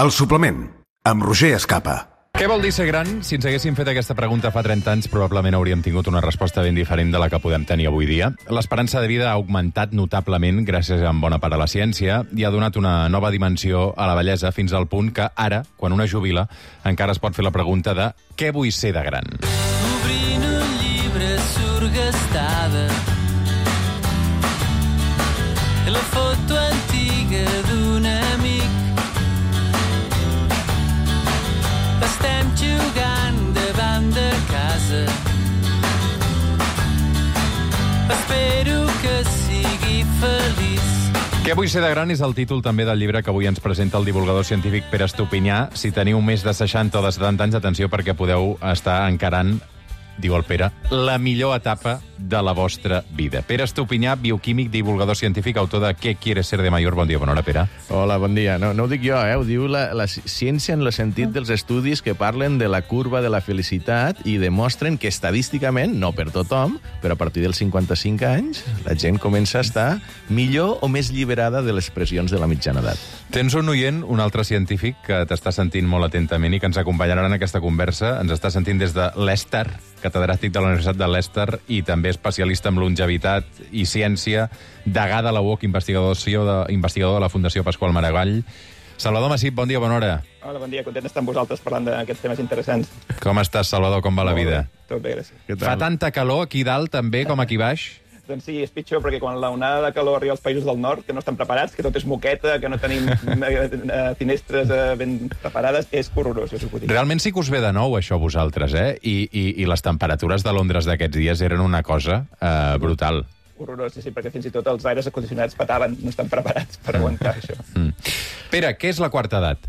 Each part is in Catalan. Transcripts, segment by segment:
El suplement, amb Roger Escapa. Què vol dir ser gran? Si ens haguéssim fet aquesta pregunta fa 30 anys, probablement hauríem tingut una resposta ben diferent de la que podem tenir avui dia. L'esperança de vida ha augmentat notablement gràcies en bona part a la ciència i ha donat una nova dimensió a la bellesa fins al punt que ara, quan una jubila, encara es pot fer la pregunta de què vull ser de gran? Obrint un llibre surgastada la foto antiga d'un amic. Estem jugant davant de casa. Espero que sigui feliç. Què vull ser de gran és el títol també del llibre que avui ens presenta el divulgador científic Pere Estupinyà. Si teniu més de 60 o de 70 anys, atenció, perquè podeu estar encarant, diu el Pere, la millor etapa de la vostra vida. Pere Estupinyà, bioquímic, divulgador científic, autor de Què quieres ser de mayor? Bon dia, bona hora, Pere. Hola, bon dia. No ho dic jo, ho diu la ciència en el sentit dels estudis que parlen de la curva de la felicitat i demostren que estadísticament, no per tothom, però a partir dels 55 anys, la gent comença a estar millor o més alliberada de les pressions de la mitjana edat. Tens un oient, un altre científic, que t'està sentint molt atentament i que ens acompanyarà en aquesta conversa. Ens està sentint des de Leicester, catedràtic de la Universitat de Leicester i també especialista en longevitat i ciència, degà de la UOC, investigador de la Fundació Pasqual Maragall. Salvador Massip, bon dia, bona hora. Hola, bon dia, content d'estar amb vosaltres parlant d'aquests temes interessants. Com estàs, Salvador? Com va la vida? Tot bé, gràcies. Fa tanta calor aquí dalt també com aquí baix? Doncs sí, és pitjor, perquè quan l'onada de calor arriba als països del nord, que no estan preparats, que tot és moqueta, que no tenim finestres ben preparades, és horrorós, això ho puc dir. Realment sí que us ve de nou, això, a vosaltres, eh? I les temperatures de Londres d'aquests dies eren una cosa brutal. Horrorós, sí, perquè fins i tot els aires acondicionats petaven, no estan preparats per aguantar això. Pere, què és la quarta edat?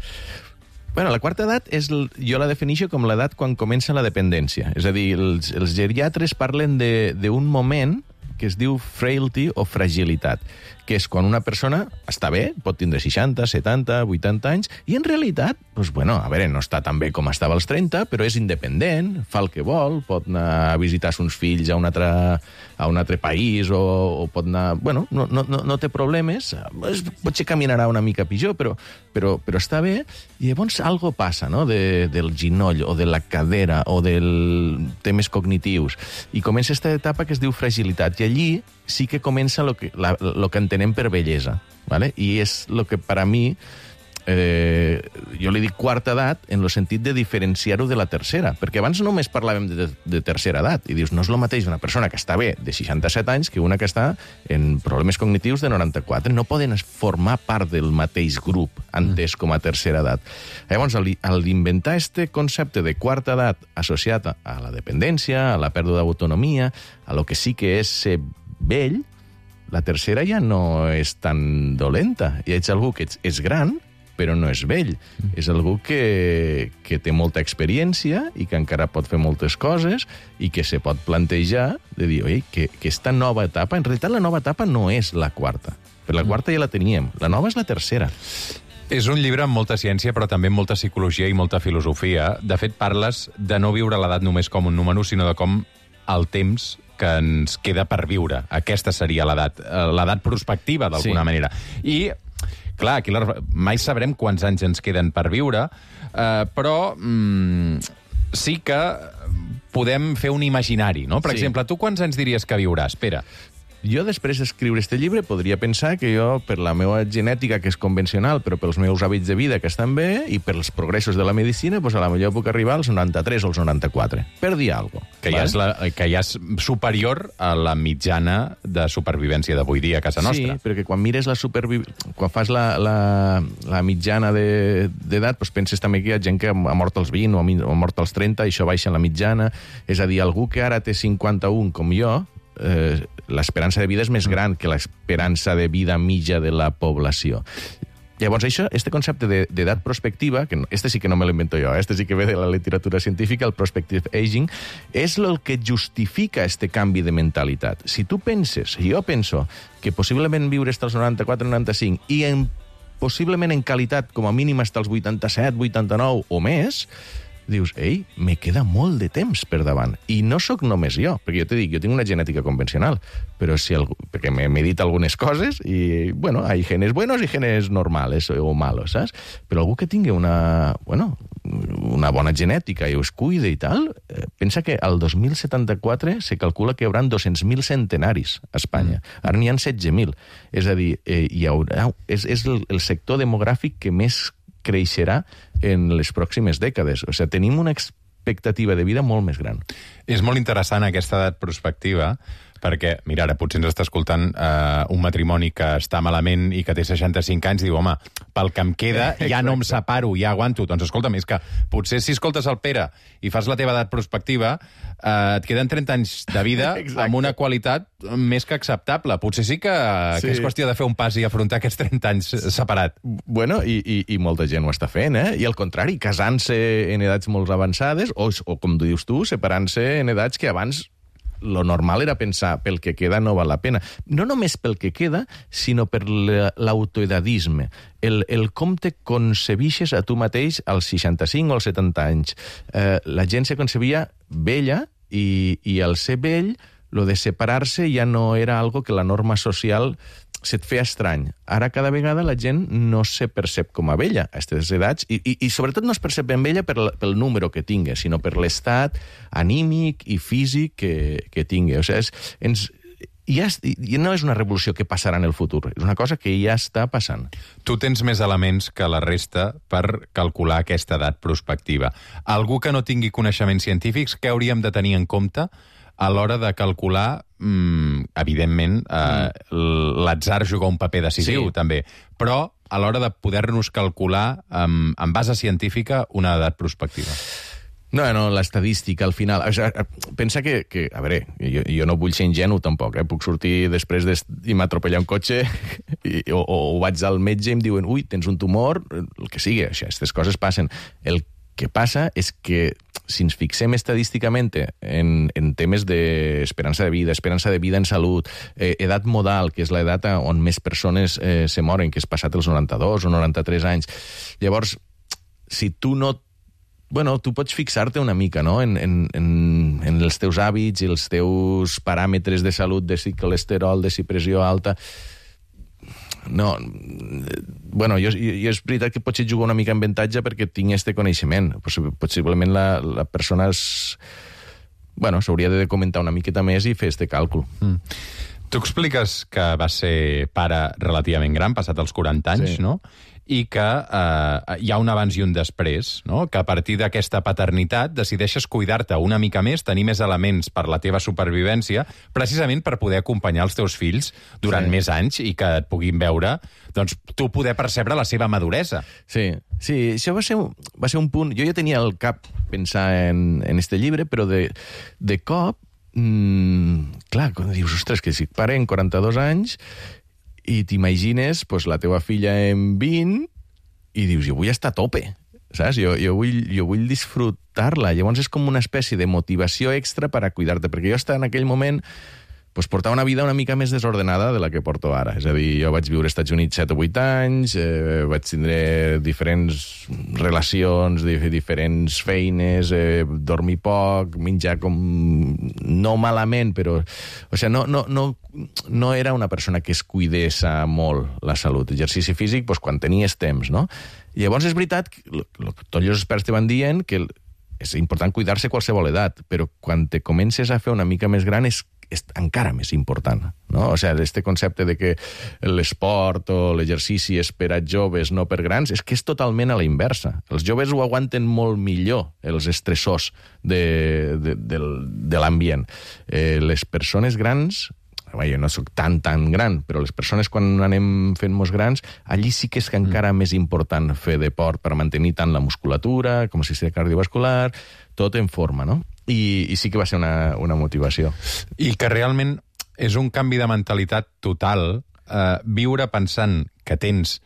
Bueno, la quarta edat jo la defineixo com l'edat quan comença la dependència. És a dir, els geriatres parlen d'un moment que es diu frailty o fragilitat, que és quan una persona està bé, pot tindre 60, 70, 80 anys, i en realitat, doncs, bueno, a veure, no està tan bé com estava als 30, però és independent, fa el que vol, pot anar a visitar uns fills a un altre país, o pot anar... Bueno, no té problemes, potser caminarà una mica pitjor, però està bé, i llavors algo passa, no?, del ginoll, o de la cadera, o dels temes cognitius, i comença aquesta etapa que es diu fragilitat, i allí sí que comença lo que entenem per bellesa, ¿vale? I és el que per a mi, jo li dic quarta edat en el sentit de diferenciar-ho de la tercera, perquè abans només parlàvem de tercera edat, i dius, no és el mateix una persona que està bé de 67 anys que una que està en problemes cognitius de 94, no poden formar part del mateix grup entès com a tercera edat. Llavors, al inventar este concepte de quarta edat associat a la dependència, a la pèrdua d'autonomia, a lo que sí que és ser vell, la tercera ja no és tan dolenta. Ja ets algú que és gran, però no és vell. És algú que té molta experiència i que encara pot fer moltes coses i que se pot plantejar de dir, oi, que aquesta nova etapa, en realitat la nova etapa no és la quarta. Per la quarta ja la teníem. La nova és la tercera. És un llibre amb molta ciència, però també amb molta psicologia i molta filosofia. De fet, parles de no viure l'edat només com un número, sinó de com el temps que ens queda per viure. Aquesta seria l'edat prospectiva, d'alguna manera. I, clar, aquí mai sabrem quants anys ens queden per viure, però sí que podem fer un imaginari, no? Per exemple, tu quants anys diries que viuràs, Pere? Jo, després d'escriure este llibre, podria pensar que jo, per la meva genètica, que és convencional, però pels meus hàbits de vida, que estan bé, i pels progressos de la medicina, doncs a la millor puc arribar als 93 o als 94. Per dir alguna cosa. Que ja és superior a la mitjana de supervivència d'avui dia a casa nostra. Sí, perquè quan mires quan fas la mitjana d'edat, doncs penses també que hi ha gent que ha mort als 20 o ha mort als 30, i això baixa la mitjana. És a dir, algú que ara té 51, com jo, l'esperança de vida és més gran que l'esperança de vida mitja de la població. Llavors, este concepte d'edat prospectiva, que este sí que no me l'invento jo, este sí que ve de la literatura científica, el prospective aging, és el que justifica este canvi de mentalitat. Si tu penses, si jo penso, que possiblement viure als 94-95 i possiblement en qualitat com a mínim fins als 87, 89 o més, dius, ei, me queda molt de temps per davant. I no sóc només jo, perquè jo t'he dit, jo tinc una genètica convencional, però si algú, perquè m'he dit algunes coses i, bueno, hay genes buenos i genes normales o malos, saps? Però algú que tingui una bona genètica i us cuide i tal, pensa que al 2074 se calcula que hi haurà 200.000 centenaris a Espanya. Ara n'hi ha 16.000. És a dir, és el sector demogràfic que més creixerà en les pròximes dècades. O sigui, tenim una expectativa de vida molt més gran. És molt interessant aquesta edat prospectiva, perquè, mira, ara potser ens està escoltant un matrimoni que està malament i que té 65 anys i diu, home, pel que em queda ja no em separo, ja aguanto. Doncs escolta'm, és que potser si escoltes el Pere i fas la teva edat prospectiva, et queden 30 anys de vida amb una qualitat més que acceptable. Potser sí que és qüestió de fer un pas i afrontar aquests 30 anys separat. Bueno, i molta gent ho està fent, I al contrari, casant-se en edats molt avançades, o com dius tu, separant-se en edats que abans lo normal era pensar, pel que queda no val la pena. No només pel que queda, sinó per l'autoedadisme. El com te concebixes a tu mateix als 65 o als 70 anys. La gent se concebia vella i al ser vell, lo de separar-se ja no era algo que la norma social se't feia estrany. Ara cada vegada la gent no se percep com a vella a aquestes edats i sobretot no es percep ben vella pel número que tingui, sinó per l'estat anímic i físic que tingui. O sigui, no és una revolució que passarà en el futur, és una cosa que ja està passant. Tu tens més elements que la resta per calcular aquesta edat prospectiva. Algú que no tingui coneixements científics, què hauríem de tenir en compte a l'hora de calcular, evidentment, l'atzar juga un paper decisiu, també, però a l'hora de poder-nos calcular amb base científica una edat prospectiva? No, l'estadística, al final... O sigui, pensa que a veure, jo no vull ser ingenu tampoc, Puc sortir després i m'atropellar un cotxe o vaig al metge i em diuen ui, tens un tumor, el que sigui, aquestes coses passen. El que passa és que si ens fixem estadísticament en temes d'esperança de vida en salut, edat modal, que és l'edat on més persones se moren, que és passat els 92 o 93 anys, llavors, si tu no... Bueno, tu pots fixar-te una mica, no?, en els teus hàbits i els teus paràmetres de salut, de si colesterol, de si pressió alta... No, bueno, jo és veritat que potser jugo una mica en avantatge perquè tinc este coneixement. Possiblement la persona s'hauria de comentar una miqueta més i fer este càlcul. Tu expliques que vas ser pare relativament gran, passat els 40 anys, no? I que hi ha un abans i un després, no? Que a partir d'aquesta paternitat decideixes cuidar-te una mica més, tenir més elements per la teva supervivència, precisament per poder acompanyar els teus fills durant més anys i que et puguin veure, doncs, tu poder percebre la seva maduresa. Sí, això va ser un punt... Jo ja tenia al cap pensar en este llibre, però de cop, clar, quan dius, ostres, que si pare en 42 anys... i t'imagines la teva filla en 20 i dius, jo vull estar a tope, saps? Jo vull disfrutar-la. Llavors és com una espècie de motivació extra per a cuidar-te, perquè jo en aquell moment portava una vida una mica més desordenada de la que porto ara. És a dir, jo vaig viure als Estats Units 7 o 8 anys, vaig tindre diferents relacions, diferents feines, dormir poc, menjar com... no malament, però... O sigui, no era una persona que es cuidés molt la salut. Exercici físic, quan tenies temps, no? I llavors és veritat que tots els experts te van dient que és important cuidar-se a qualsevol edat, però quan te comences a fer una mica més gran és encara més important, no? O sigui, este concepte de que l'esport o l'exercici és per a joves, no per grans, és que és totalment a la inversa. Els joves ho aguanten molt millor, els estressors de l'ambient. Les persones grans... Jo no soc tan gran, però les persones quan anem fent-nos grans, allí sí que és encara més important fer deport per mantenir tant la musculatura com el sistema cardiovascular, tot en forma, no? I sí que va ser una motivació. I que realment és un canvi de mentalitat total, viure pensant que tens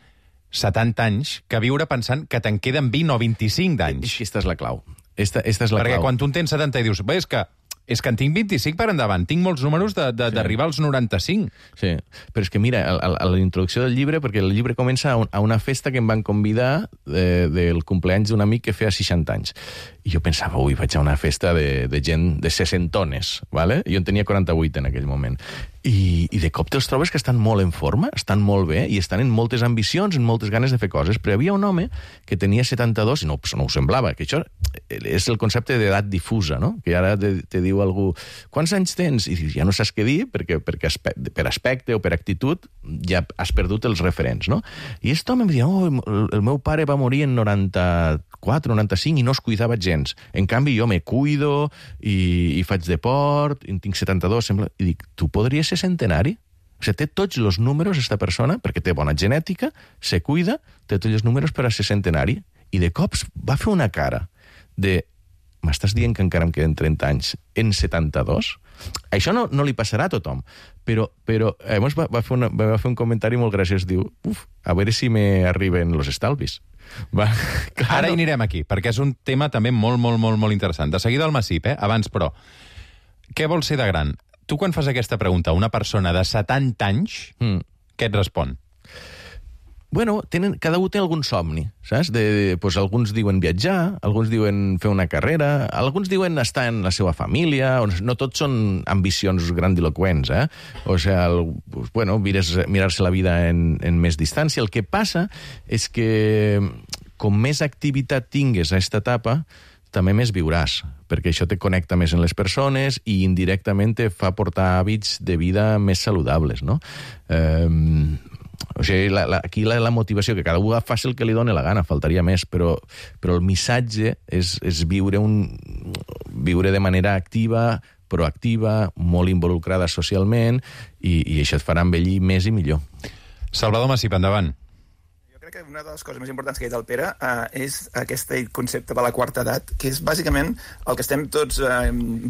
70 anys, que viure pensant que te'n queden 20 o 25 d'anys. Aquesta és la clau. Esta és la Perquè clau. quan tu en tens 70 i dius, és que és que en tinc 25 per endavant. Tinc molts números d'arribar als 95. Sí, però és que mira, a la introducció del llibre, perquè el llibre comença a una festa que em van convidar del cumpleaños d'un amic que feia 60 anys. I jo pensava, ui, vaig a una festa de gent de 60ones, ¿vale? Jo en tenia 48 en aquell moment. I de cop te'ls trobes que estan molt en forma, estan molt bé, i estan en moltes ambicions, en moltes ganes de fer coses, però hi havia un home que tenia 72, i no ho semblava, que això és el concepte d'edat difusa, no? Que ara te diu algú, quants anys tens? I dius, ja no saps què dir, perquè per aspecte o per actitud ja has perdut els referents, no? I aquest home em deia, el meu pare va morir en 94, 95 i no es cuidava gens. En canvi, jo me cuido i faig deport, i tinc 72, sembla... I dic, tu podries ser centenari? O sigui, té tots els números, esta persona, perquè té bona genètica, se cuida, té tots els números per a ser centenari. I de cops va fer una cara de... M'estàs dient que encara em queden 30 anys en 72? Això no li passarà a tothom, però va fer un comentari molt graciós, diu, a veure si me arriben los estalvis. Ara hi anirem aquí, perquè és un tema també molt, molt, molt, molt interessant. De seguida al Massip, abans, però, què vols ser de gran? Tu, quan fas aquesta pregunta a una persona de 70 anys, què et respon? Bueno, cada un té algun somni, saps? Pues alguns diuen viatjar, alguns diuen fer una carrera, alguns diuen estar en la seva família, no tots són ambicions grandiloquents, O sigui, bueno, mirar-se la vida en més distància. El que passa és que com més activitat tingues a aquesta etapa, també més viuràs, perquè això te connecta més en les persones i indirectament te fa portar hàbits de vida més saludables, no? O sigui, aquí la motivació, que cada un faci el que li doni la gana, faltaria més, però el missatge és viure de manera activa, proactiva, molt involucrada socialment, i això et farà envellir més i millor. Salvador Massip, endavant. Jo crec que una de les coses més importants que ha dit el Pere és aquest concepte de la quarta edat, que és bàsicament el que estem tots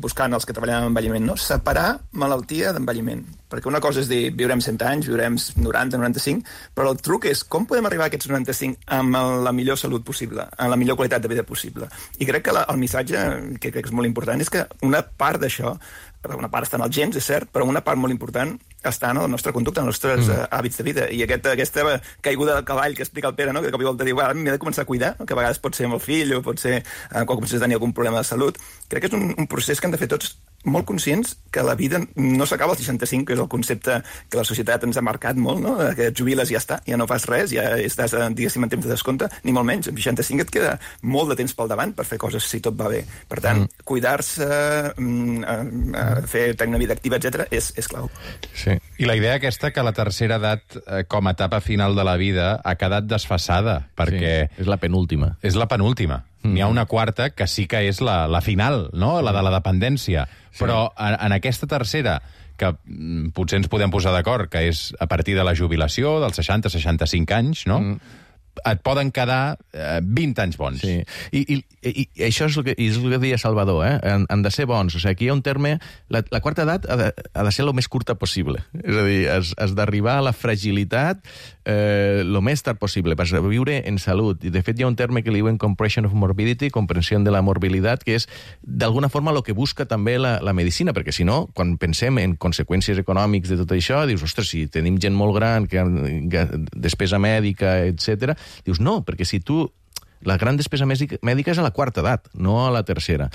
buscant els que treballem en envelliment, no? Separar malaltia d'envelliment. Perquè una cosa és dir, viurem 100 anys, viurem 90, 95, però el truc és com podem arribar a aquests 95 amb la millor salut possible, amb la millor qualitat de vida possible. I crec que el missatge, que crec que és molt important, és que una part d'això, una part està en els gens, és cert, però una part molt important està en la nostra conducta, en els nostres hàbits de vida. I aquesta caiguda del cavall que explica el Pere, no? Que de cop i volta diu, m'he de començar a cuidar, que a vegades pot ser amb el fill o pot ser quan comences a tenir algun problema de salut. Crec que és un procés que hem de fer tots molt conscients que la vida no s'acaba als 65, que és el concepte que la societat ens ha marcat molt, no? Que et jubiles i ja està, ja no fas res, ja estàs, diguéssim, en temps de descompte, ni molt menys. Amb 65 et queda molt de temps pel davant per fer coses si tot va bé. Per tant, cuidar-se, fer tenir una vida activa, etc és clau. Sí. I la idea aquesta que la tercera edat, com a etapa final de la vida, ha quedat desfasada, perquè... Sí, és la penúltima. És la penúltima. N'hi ha una quarta que sí que és la final, no? La de la dependència. Sí. Però en aquesta tercera, que potser ens podem posar d'acord, que és a partir de la jubilació, dels 60-65 anys, no? Et poden quedar 20 anys bons. Sí. I això és el que deia Salvador, han de ser bons. O sigui, aquí hi ha un terme... La quarta edat ha de ser el més curta possible. És a dir, has d'arribar a la fragilitat el més tard possible, per viure en salut. I, de fet, hi ha un terme que li diuen compression of morbidity, comprensió de la morbilitat, que és, d'alguna forma, el que busca també la medicina, perquè, si no, quan pensem en conseqüències econòmiques de tot això, dius, ostres, si tenim gent molt gran, que despesa mèdica, etc. Dius, no, perquè si tu... La gran despesa mèdica és a la quarta edat, no a la tercera.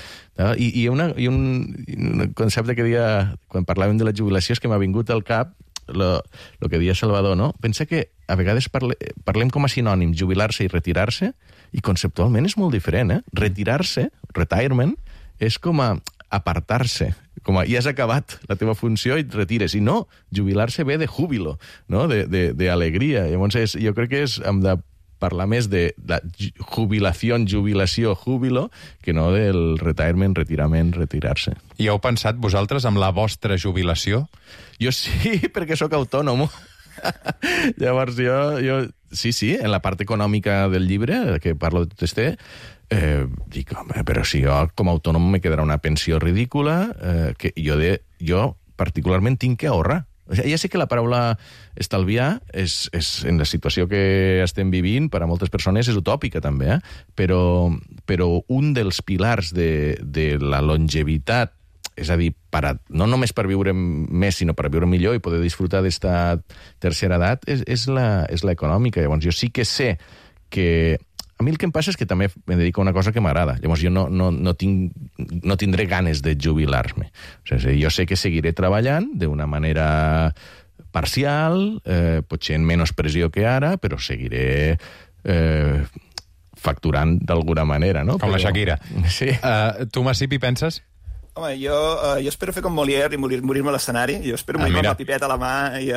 I hi ha un concepte que deia, quan parlàvem de la jubilació, és que m'ha vingut al cap el que deia Salvador, no? Pensa que a vegades parlem com a sinònims, jubilar-se i retirar-se, i conceptualment és molt diferent, Retirar-se, retirement, és com a apartar-se, com a ja has acabat la teva funció i et retires. I no, jubilar-se ve de júbilo, no? D'alegria. Llavors, jo crec que hem de parlar més de la jubilació, júbilo, que no del retirement, retirar-se. I heu pensat vosaltres amb la vostra jubilació? Jo sí, perquè sóc autònom. Llavors jo sí, en la part econòmica del llibre, que parlo de tot este, dic, home, però si jo com a autònom me quedarà una pensió ridícula, que jo particularment tinc que ahorrar. O sigui, ja sé que la paraula estalviar és en la situació que estem vivint, per a moltes persones és utòpica també, però un dels pilars de la longevitat és a dir, no només per viure més, sinó per viure millor i poder disfrutar d'esta tercera edat, és la econòmica. Llavors, jo sí que sé que... A mi el que em passa és que també me dedico a una cosa que m'agrada. Llavors, jo no tindré ganes de jubilar-me. O sigui, jo sé que seguiré treballant d'una manera parcial, potser en menys pressió que ara, però seguiré facturant d'alguna manera, no? Com la Shakira. Sí. Tu, Massip, hi penses? Home, jo espero fer com Molière i morir-me a l'escenari. Jo espero morir-me amb la pipeta a la mà.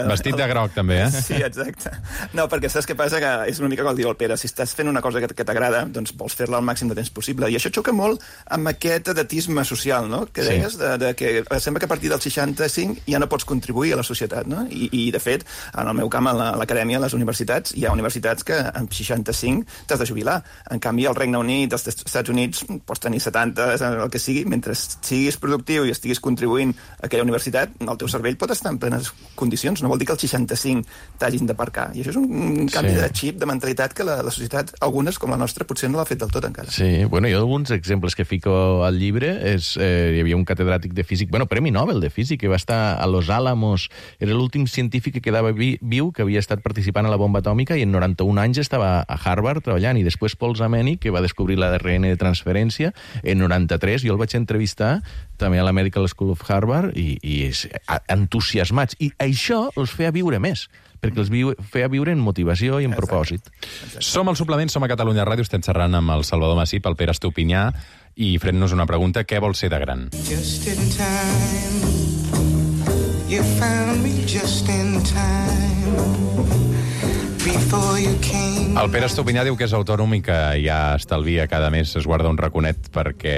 Vestit de groc, també, eh? Sí, exacte. No, perquè saps què passa? Que és una mica com el diu el Pere. Si estàs fent una cosa que t'agrada, doncs vols fer-la al màxim de temps possible. I això xoca molt amb aquest edatisme social, no? Que deies, que sembla que a partir dels 65 ja no pots contribuir a la societat, no? I de fet, en el meu camp, a l'acadèmia, a les universitats, hi ha universitats que amb 65 t'has de jubilar. En canvi, al Regne Unit, als Estats Units, pots tenir 70, el que sigui, mentre siguis productiu i estiguis contribuint a aquella universitat, el teu cervell pot estar en plenes condicions. No vol dir que els 65 t'hagin d'aparcar. I això és un canvi de xip, de mentalitat, que la societat, algunes, com la nostra, potser no l'ha fet del tot encara. Sí, bueno, jo alguns exemples que fico al llibre és... hi havia un catedràtic de físic, Premi Nobel de físic, que va estar a Los Álamos, era l'últim científic que quedava viu, que havia estat participant a la bomba atòmica, i en 91 anys estava a Harvard treballant, i després Paul Zameni, que va descobrir l'ADN de transferència, en 93, jo el vaig entrevistar també a la Medical School of Harvard, i entusiasmats. I això els feia viure més, perquè els feia viure en motivació i en propòsit. Som al Suplement, som a Catalunya Ràdio, estem xerrant amb el Salvador Massip, el Pere Estupinyà, i fent-nos una pregunta: què vol ser de gran? Just in time, you found me just in time. El Pere Estupinyà diu que és autònom i que ja estalvia cada mes, es guarda un raconet perquè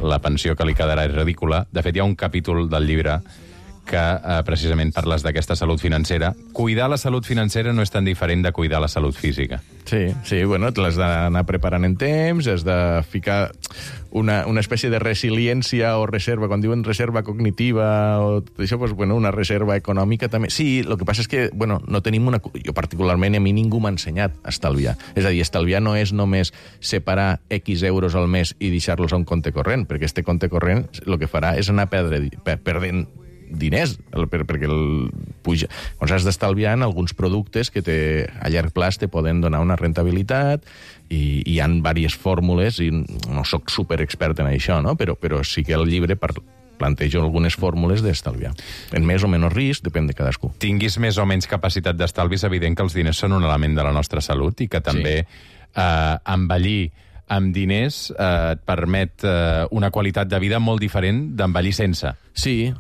la pensió que li quedarà és ridícula. De fet, hi ha un capítol del llibre que precisament parles d'aquesta salut financera. Cuidar la salut financera no és tan diferent de cuidar la salut física. Sí, bueno, l'has d'anar preparant en temps, has de ficar una espècie de resiliència o reserva, quan diuen reserva cognitiva o tot això, doncs, bueno, una reserva econòmica també. Sí, el que passa és que, bueno, no tenim una... Jo particularment, a mi ningú m'ha ensenyat a estalviar. És a dir, estalviar no és només separar X euros al mes i deixar-los a un compte corrent, perquè este compte corrent el que farà és anar perdent diners, perquè puja. Llavors has d'estalviar en alguns productes que a llarg plaç te poden donar una rentabilitat, i hi ha diverses fórmules, i no sóc superexpert en això, no? Però sí que el llibre plantejo algunes fórmules d'estalviar. En més o menys risc, depèn de cadascú. Tinguis més o menys capacitat d'estalvi, és evident que els diners són un element de la nostra salut i que també envellir amb diners et permet una qualitat de vida molt diferent d'envellir sense. Sí,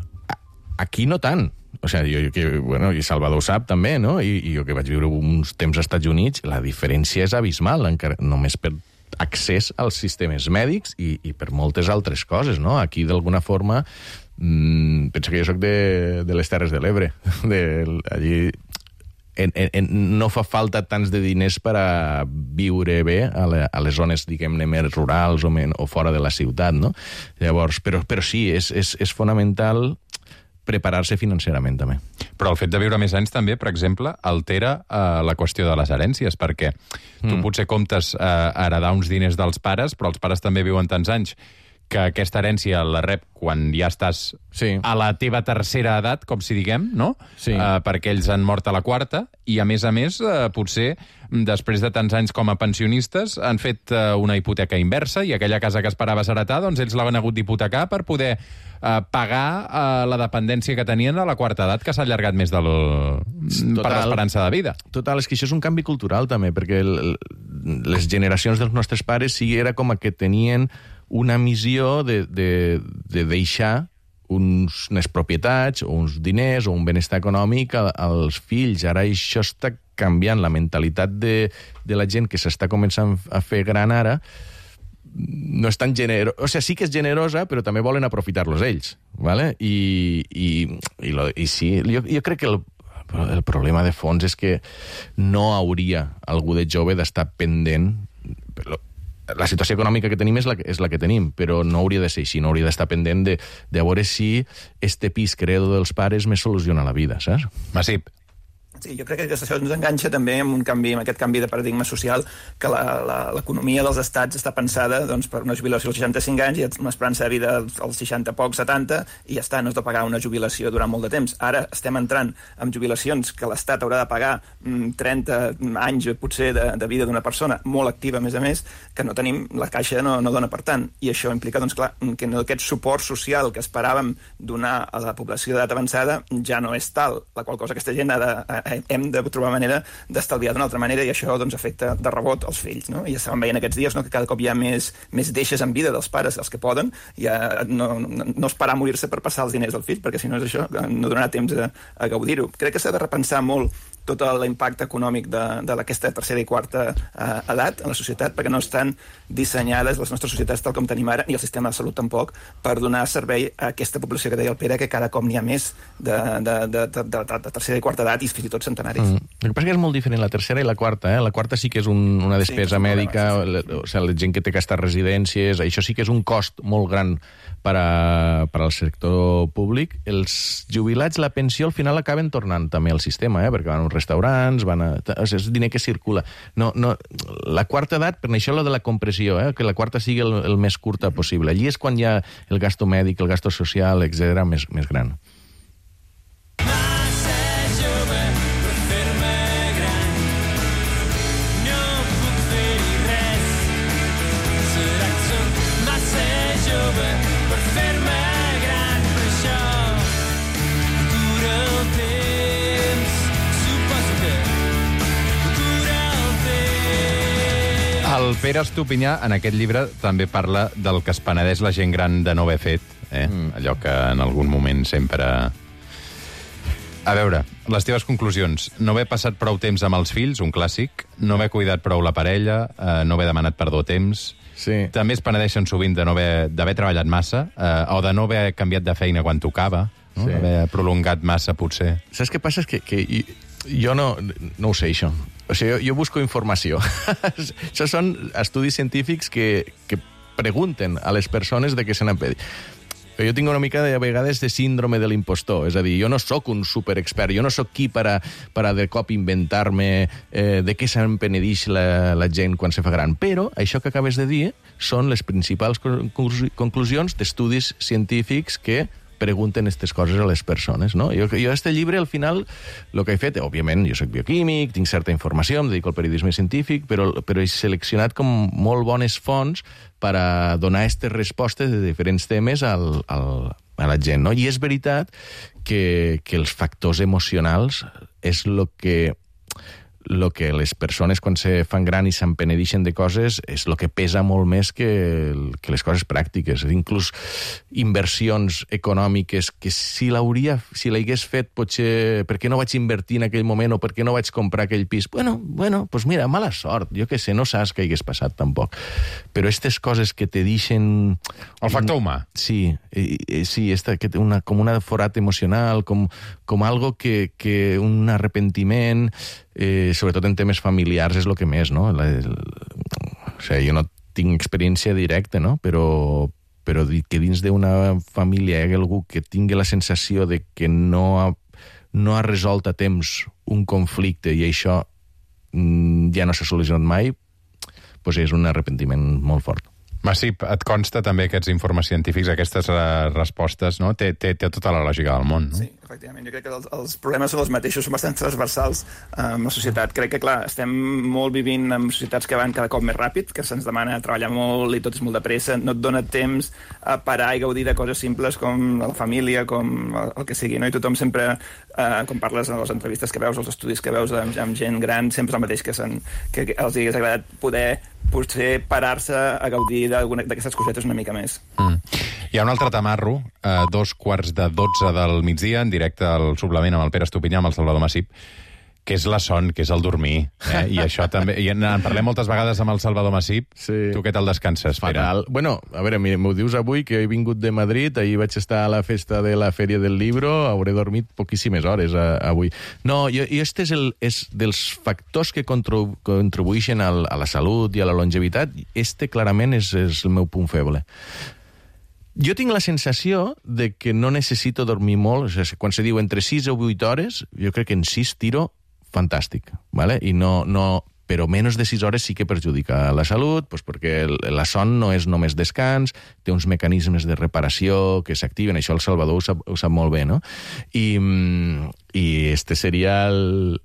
aquí no tant. O sigui, i Salvador ho sap també, no? I jo que vaig viure uns temps als Estats Units, la diferència és abismal, encara només per accés als sistemes mèdics i per moltes altres coses, no? Aquí, d'alguna forma, pensa que jo soc de les Terres de l'Ebre. Allí no fa falta tants de diners per a viure bé a les zones, diguem-ne, més rurals o fora de la ciutat, no? Llavors, però sí, és fonamental preparar-se financerament, també. Però el fet de viure més anys també, per exemple, altera la qüestió de les herències, perquè tu potser comptes heredar uns diners dels pares, però els pares també viuen tants anys que aquesta herència la rep quan ja estàs a la teva tercera edat, com si diguem, no? Sí. Perquè ells han mort a la quarta, i a més, potser, després de tants anys com a pensionistes, han fet una hipoteca inversa, i aquella casa que esperaves heretar, doncs ells l'han hagut d'hipotecar per poder pagar la dependència que tenien a la quarta edat, que s'ha allargat més per l'esperança de vida. Total, és que això és un canvi cultural, també, perquè les generacions dels nostres pares sí era com que tenien una missió de deixar unes propietats, o uns diners, o un benestar econòmic als fills. Ara això està canviant. La mentalitat de la gent que s'està començant a fer gran ara no és tan generosa. O sigui, sí que és generosa, però també volen aprofitar-los ells. ¿Vale? I sí, jo crec que el problema de fons és que no hauria algú de jove d'estar pendent... La situació econòmica que tenim és la que tenim, però no hauria de ser així, no hauria d'estar pendent de veure si este pis credo dels pares me soluciona la vida, saps? Massip. Sí, jo crec que això ens enganxa també amb aquest canvi de paradigma social, que l'economia dels estats està pensada doncs, per una jubilació als 65 anys i una esperança de vida als 60 pocs, 70, i ja està, no has de pagar una jubilació durant molt de temps. Ara estem entrant en jubilacions que l'Estat haurà de pagar 30 anys, potser, de vida d'una persona, molt activa, a més, que no tenim, la caixa no dona per tant. I això implica, doncs, clar, que aquest suport social que esperàvem donar a la població d'edat avançada ja no és tal, la qual cosa aquesta gent hem de trobar manera d'estalviar d'una altra manera, i això doncs, afecta de rebot els fills, no? I ja estàvem veient aquests dies, no?, que cada cop hi ha més deixes en vida dels pares, els que poden, ja no esperar a morir-se per passar els diners als fills, perquè si no és això, no donarà temps a gaudir-ho. Crec que s'ha de repensar molt tot l'impacte econòmic d'aquesta tercera i quarta edat en la societat, perquè no estan dissenyades les nostres societats tal com tenim ara, ni el sistema de salut tampoc, per donar servei a aquesta població que deia el Pere, que cada cop n'hi ha més de tercera i quarta edat, i fins i tot centenaris. El que passa que és molt diferent la tercera i la quarta. La quarta sí que és una despesa mèdica, o sigui, la gent que té que estar a residències, això sí que és un cost molt gran per al sector públic. Els jubilats, la pensió, al final acaben tornant també al sistema, perquè van a uns restaurants, és diner que circula. La quarta edat, per això lo de la compressió, que la quarta sigui el més curta possible. Allí és quan hi ha el gasto mèdic, el gasto social, etc., més gran. El Pere Estupinyà, en aquest llibre, també parla del que es penedeix la gent gran de no haver fet, allò que en algun moment sempre... A veure, les teves conclusions. No haver passat prou temps amb els fills, un clàssic, no haver cuidat prou la parella, no haver demanat perdó a temps... Sí. També es penedeixen sovint d'haver treballat massa, o de no haver canviat de feina quan tocava, no? Sí. Haver prolongat massa, potser. Saps què passa? És que jo no ho sé, això. O sigui, jo busco informació. Això són estudis científics que pregunten a les persones de què se n'han pedit. Jo tinc una mica, de vegades, de síndrome de l'impostor. És a dir, jo no sóc un superexpert, jo no sóc qui per a de cop inventar-me de què se'n penedix la gent quan se fa gran. Però això que acabes de dir són les principals conclusions d'estudis científics que pregunten aquestes coses a les persones, no? Jo a este llibre, al final, el que he fet, òbviament, jo soc bioquímic, tinc certa informació, em dedico al periodisme científic, però he seleccionat com molt bones fonts per a donar aquestes respostes de diferents temes a la gent, no? I és veritat que els factors emocionals és el que les persones, quan se fan gran i se'n penedixen de coses, és el que pesa molt més que les coses pràctiques. Inclús inversions econòmiques que si l'hagués fet, potser, per què no vaig invertir en aquell moment o per què no vaig comprar aquell pis? Bueno, doncs mira, mala sort, jo què sé, no saps què hagués passat tampoc. Però aquestes coses que te deixen... El factor humà. Sí, com un forat emocional, com algo que un arrepentiment... sobretot en temes familiars és el que més, no? O sigui, jo no tinc experiència directa, no? Però que dins d'una família hi hagi algú que tingui la sensació de que no ha resolt a temps un conflicte i això ja no s'ha solucionat mai, doncs és un arrepentiment molt fort. Massip, et consta també aquests informes científics, aquestes respostes, no? Té tota la lògica del món, no? Sí, efectivament. Jo crec que els problemes són els mateixos, són bastant transversals en la societat. Crec que, clar, estem molt vivint en societats que van cada cop més ràpid, que se'ns demana treballar molt i tot és molt de pressa, no et dona temps a parar i gaudir de coses simples com la família, com el que sigui, no? I tothom sempre, quan parles en les entrevistes que veus, els estudis que veus amb gent gran, sempre és el mateix que els hagués agradat poder potser parar-se a gaudir d'aquestes cosetes una mica més. Hi ha un altre tamarro, 2:45 del migdia, en directe al suplement amb el Pere Estupinyà, amb el Salvador Massip, que és la son, que és el dormir. I això també... I en parlem moltes vegades amb el Salvador Massip. Sí. Tu què tal descanses, Pere? Fatal. Bueno, a veure, m'ho dius avui, que he vingut de Madrid, ahir vaig estar a la festa de la Fèria del Libro, hauré dormit poquíssimes hores avui. No, este és dels factors que contribueixen a la salut i a la longevitat. Este, clarament, és el meu punt feble. Jo tinc la sensació de que no necessito dormir molt. O sigui, quan se diu entre 6 o 8 hores, jo crec que en 6 tiro fantàstic, ¿vale? I però menys de 6 hores sí que perjudica la salut, doncs perquè la son no és només descans, té uns mecanismes de reparació que s'activen, això el Salvador ho sap molt bé, no? I este seria el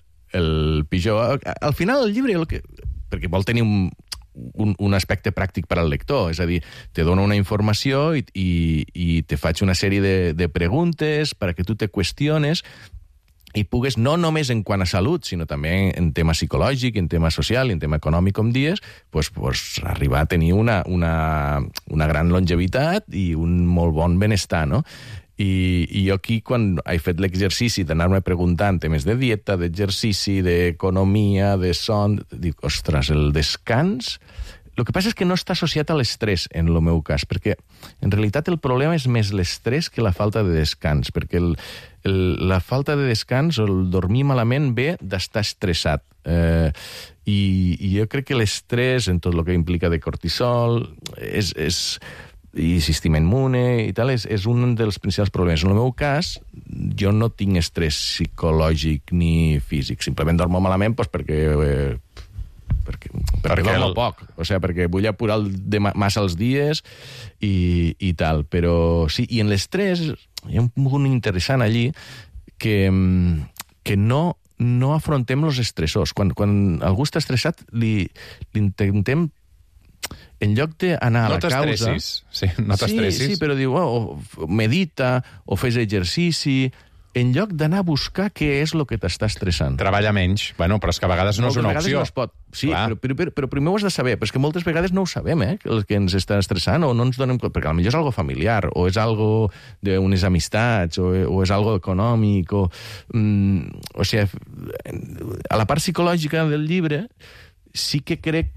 pitjor. Al final el llibre, perquè vol tenir un aspecte pràctic per al lector, és a dir, te dona una informació i te faig una sèrie de preguntes perquè tu te qüestiones i pugues, no només en quant a salut, sinó també en tema psicològic, en tema social i en tema econòmic, com dies, pues, arribar a tenir una gran longevitat i un molt bon benestar, no? I jo aquí, quan he fet l'exercici d'anar-me preguntant temes de dieta, d'exercici, d'economia, de son, dic, ostres, el descans... El que passa és que no està associat a l'estrès, en el meu cas, perquè en realitat el problema és més l'estrès que la falta de descans, perquè la falta de descans o el dormir malament ve d'estar estressat. I jo crec que l'estrès, en tot el que implica de cortisol, i sistema immune i tal, és un dels principals problemes. En el meu cas, jo no tinc estrès psicològic ni físic. Simplement dormo malament perquè dormo poc, o sigui, perquè vull apurar massa els dies i tal, però sí, i en l'estrès hi ha un punt interessant allí que no afrontem els estressors. Quan algú està estressat, li intentem, en lloc d'anar a la causa... No t'estressis. Sí, però diu, medita o fes exercici... en lloc d'anar a buscar què és el que t'està estressant. Treballa menys. Bueno, però és que a vegades no és una opció. No es pot. Sí, però primer ho has de saber. Però és que moltes vegades no ho sabem, el que ens està estressant, o no ens donem compte, perquè potser és algo familiar, o és algo d'unes amistats, o és algo econòmic, o sigui, a la part psicològica del llibre sí que crec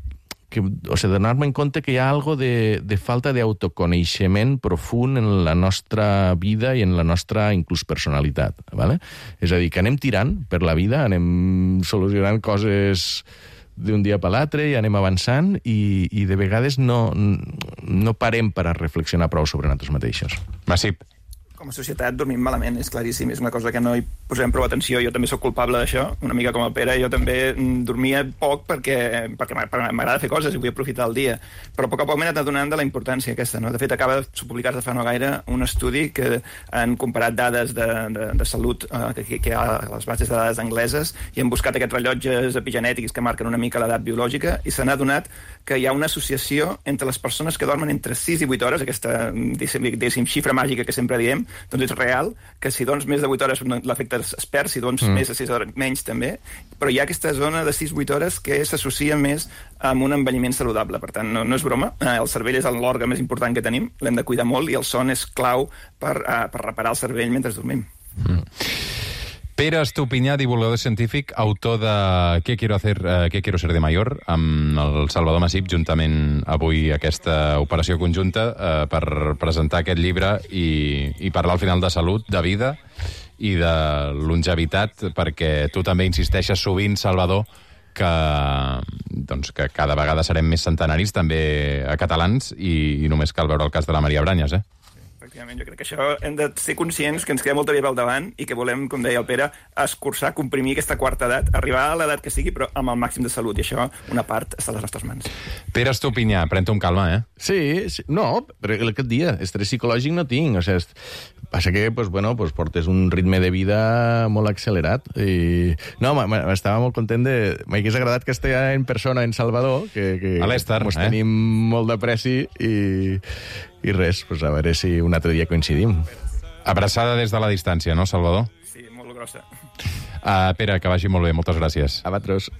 donar-me en compte que hi ha algo de falta d'autoconeixement profund en la nostra vida i en la nostra, inclús, personalitat. ¿Vale? És a dir, que anem tirant per la vida, anem solucionant coses d'un dia per l'altre i anem avançant i de vegades no parem per a reflexionar prou sobre nosaltres mateixos. Massip. Com a societat dormim malament, és claríssim, és una cosa que no hi posem prou atenció, jo també sóc culpable d'això, una mica com el Pere, jo també dormia poc perquè m'agrada fer coses i vull aprofitar el dia, però a poc m'he anat adonant de la importància aquesta, no? De fet, acaba de publicar-se fa no gaire un estudi que han comparat dades de salut que hi ha a les bases de dades angleses i han buscat aquests rellotges epigenètics que marquen una mica l'edat biològica i s'han adonat que hi ha una associació entre les persones que dormen entre 6 i 8 hores, aquesta, diguéssim, xifra màgica que sempre diem, doncs és real, que si dorms més de 8 hores l'efecte es perd, si dorms més de 6 hores menys també, però hi ha aquesta zona de 6-8 hores que s'associa més amb un envelliment saludable, per tant no és broma, el cervell és l'òrgan més important que tenim, l'hem de cuidar molt i el son és clau per reparar el cervell mentre dormim. Pere Estupinyà, divulgador científic, autor de ¿Qué quiero ser de mayor?, amb el Salvador Massip, juntament avui aquesta operació conjunta per presentar aquest llibre i parlar al final de salut, de vida i de longevitat, perquè tu també insisteixes sovint, Salvador, que cada vegada serem més centenaris, també a catalans, i només cal veure el cas de la Maria Brañas, Efectivament, jo crec que això hem de ser conscients que ens queda molta vida al davant i que volem, com deia el Pere, escurçar, comprimir aquesta quarta edat, arribar a l'edat que sigui, però amb el màxim de salut, i això, una part, està a les nostres mans. Pere Estupinyà, pren-te amb calma, Sí, no, però aquest dia, estrès psicològic no tinc, o sigui, passa que, portes un ritme de vida molt accelerat, i... No, m'estava molt content m'hagués agradat que estigui en persona en Salvador, que a l'Ester, mos tenim molt d'apreci, i res, a veure si un altre dia coincidim. Abraçada des de la distància, no, Salvador? Sí, molt grossa. Pere, que vagi molt bé, moltes gràcies. A vosaltres.